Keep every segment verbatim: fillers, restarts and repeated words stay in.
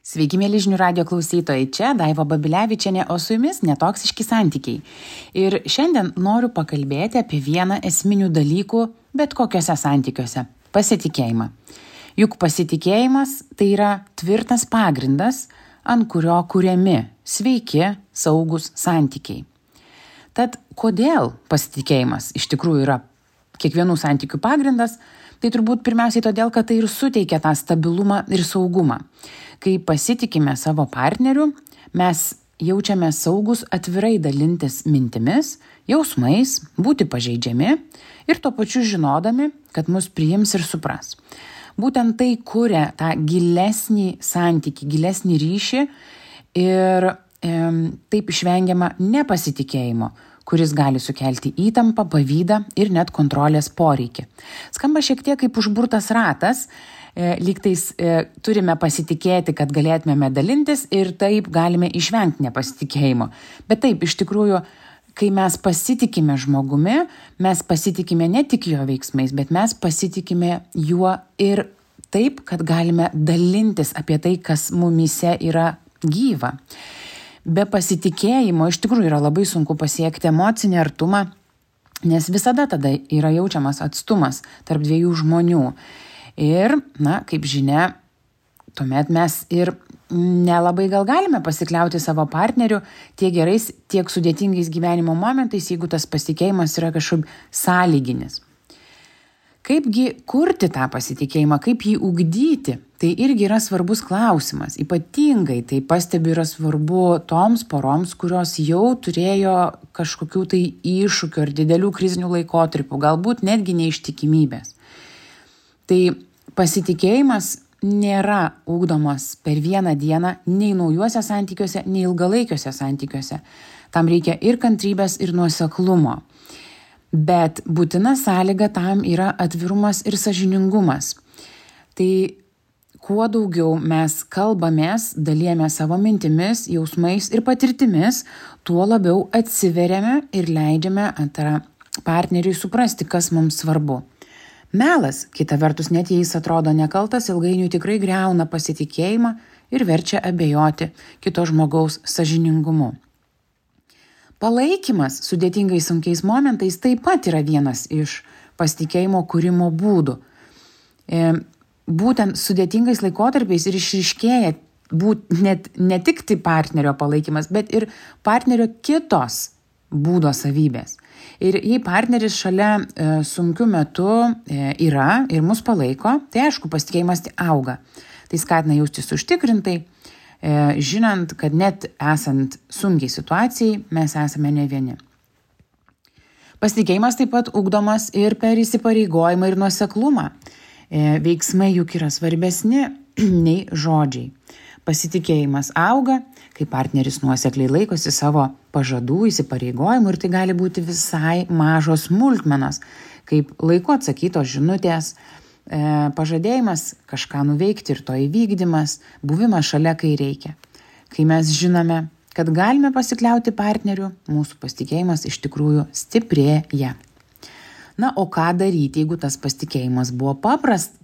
Sveiki, mėly žinių radio klausytojai, čia Daiva Babilevičienė, o su jumis netoksiški santykiai. Ir šiandien noriu pakalbėti apie vieną esminių dalykų bet kokiuose santykiuose – pasitikėjimą. Juk pasitikėjimas tai yra tvirtas pagrindas, ant kurio kuriami sveiki, saugus santykiai. Tad kodėl pasitikėjimas iš tikrųjų yra kiekvienų santykių pagrindas? Tai turbūt pirmiausiai todėl, kad tai ir suteikia tą stabilumą ir saugumą. Kai pasitikime savo partneriu, mes jaučiame saugus atvirai dalintis mintimis, jausmais, būti pažeidžiami ir tuo pačiu žinodami, kad mus priims ir supras. Būtent tai kuria tą gilesnį santykį, gilesnį ryšį ir e, taip išvengiama nepasitikėjimo, kuris gali sukelti įtampą, pavydą ir net kontrolės poreikį. Skamba šiek tiek kaip užburtas ratas, e, lygtais e, turime pasitikėti, kad galėtumėme dalintis ir taip galime išvengti nepasitikėjimo. Bet taip, iš tikrųjų, kai mes pasitikime žmogumi, mes pasitikime ne tik jo veiksmais, bet mes pasitikime juo ir taip, kad galime dalintis apie tai, kas mumyse yra gyva. Be pasitikėjimo iš tikrųjų yra labai sunku pasiekti emocinį artumą, nes visada tada yra jaučiamas atstumas tarp dviejų žmonių. Ir, na, kaip žinia, tuomet mes ir nelabai gal galime pasikliauti savo partneriu tiek gerais, tiek sudėtingais gyvenimo momentais, jeigu tas pasitikėjimas yra kažkaip sąlyginis. Kaipgi kurti tą pasitikėjimą, kaip jį ugdyti, tai irgi yra svarbus klausimas. Ypatingai tai pastebiu yra svarbu toms poroms, kurios jau turėjo kažkokių tai iššūkių ar didelių krizinių laikotarpių, galbūt netgi neištikimybės. Tai pasitikėjimas nėra ugdomas per vieną dieną nei naujuose santykiuose, nei ilgalaikiuose santykiuose. Tam reikia ir kantrybės, ir nuoseklumo. Bet būtina sąlyga tam yra atvirumas ir sąžiningumas. Tai kuo daugiau mes kalbamės, dalijame savo mintimis, jausmais ir patirtimis, tuo labiau atsiveriame ir leidžiame antrą partneriui suprasti, kas mums svarbu. Melas, kita vertus, net jei jis atrodo nekaltas, ilgainiui tikrai griauna pasitikėjimą ir verčia abejoti kito žmogaus sąžiningumu. Palaikymas sudėtingais sunkiais momentais taip pat yra vienas iš pasitikėjimo kūrimo būdų. E, būtent sudėtingais laikotarpiais ir išryškėja būt, net, ne tik tai partnerio palaikymas, bet ir partnerio kitos būdo savybės. Ir jei partneris šalia e, sunkiu metu e, yra ir mus palaiko, tai aišku, pasitikėjimas auga. Tai skatina jaustis užtikrintai, žinant, kad net esant sunkiai situacijai, mes esame ne vieni. Pasitikėjimas taip pat ugdomas ir per įsipareigojimą ir nuoseklumą. Veiksmai juk yra svarbesni nei žodžiai. Pasitikėjimas auga, kai partneris nuosekliai laikosi savo pažadų, įsipareigojimų ir tai gali būti visai mažos smulkmenos, kaip laiku atsakytos žinutės, pažadėjimas kažką nuveikti ir to įvykdymas, buvimas šalia, kai reikia. Kai mes žinome, kad galime pasikliauti partneriu, mūsų pasitikėjimas iš tikrųjų stiprėja. Na, o ką daryti, jeigu tas pasitikėjimas buvo paprast,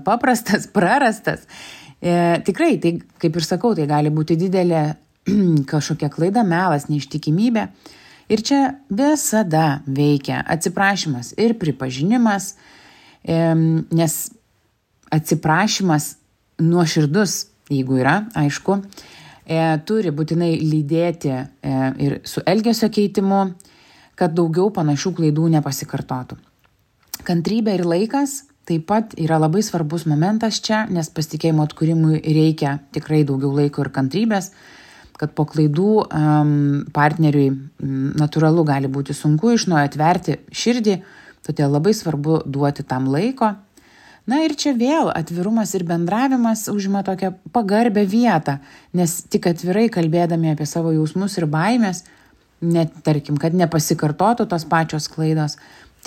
paprastas, prarastas? E, tikrai, tai, kaip ir sakau, tai gali būti didelė kažkokia klaida, melas, neištikimybė. Ir čia visada veikia atsiprašymas ir pripažinimas, nes atsiprašymas nuoširdus, jeigu yra, aišku, turi būtinai lydėti ir su elgesio keitimu, kad daugiau panašių klaidų nepasikartotų. Kantrybė ir laikas taip pat yra labai svarbus momentas čia, nes pasitikėjimo atkūrimui reikia tikrai daugiau laiko ir kantrybės, kad po klaidų um, partneriui um, natūralu gali būti sunku iš naujo atverti širdį, todėl labai svarbu duoti tam laiko. Na ir čia vėl atvirumas ir bendravimas užima tokią pagarbę vietą, nes tik atvirai kalbėdami apie savo jausmus ir baimės, net tarkim, kad nepasikartotų tos pačios klaidos,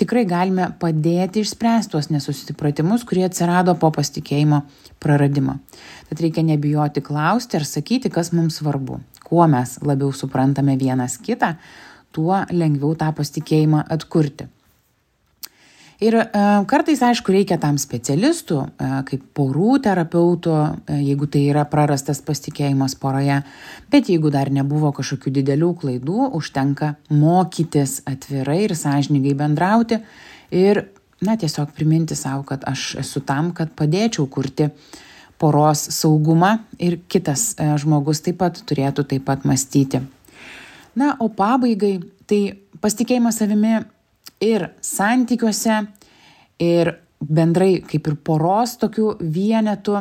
tikrai galime padėti išspręsti tuos nesusipratimus, kurie atsirado po pasitikėjimo praradimo. Tad reikia nebijoti klausti ar sakyti, kas mums svarbu. Kuo mes labiau suprantame vienas kitą, tuo lengviau tą pasitikėjimą atkurti. Ir e, kartais, aišku, reikia tam specialistų, e, kaip porų terapeutų, e, jeigu tai yra prarastas pasitikėjimas poroje. Bet jeigu dar nebuvo kažkokių didelių klaidų, užtenka mokytis atvirai ir sąžiningai bendrauti ir, na, tiesiog priminti savo, kad aš esu tam, kad padėčiau kurti poros saugumą ir kitas e, žmogus taip pat turėtų taip pat mąstyti. Na, o pabaigai, tai pasitikėjimas savimi ir santykiuose, ir bendrai kaip ir poros tokių vienetų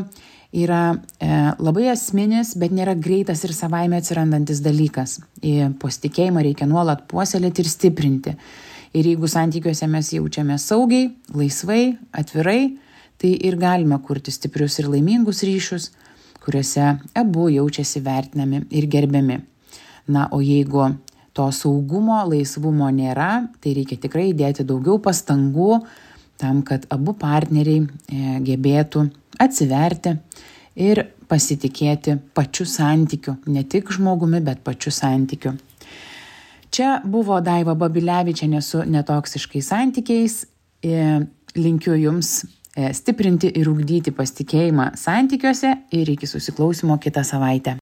yra e, labai esminis, bet nėra greitas ir savaime atsirandantis dalykas. Į pasitikėjimą reikia nuolat puoselėti ir stiprinti. Ir jeigu santykiuose mes jaučiame saugiai, laisvai, atvirai, tai ir galime kurti stiprius ir laimingus ryšius, kuriuose abu jaučiasi vertinami ir gerbiami. Na, o jeigu to saugumo, laisvumo nėra, tai reikia tikrai įdėti daugiau pastangų tam, kad abu partneriai e, gebėtų atsiverti ir pasitikėti pačiu santykiu, ne tik žmogumi, bet pačiu santykiu. Čia buvo Daiva Babilevičienė su netoksiškais santykiais. E, linkiu Jums stiprinti ir ugdyti pasitikėjimą santykiuose ir iki susiklausymo kitą savaitę.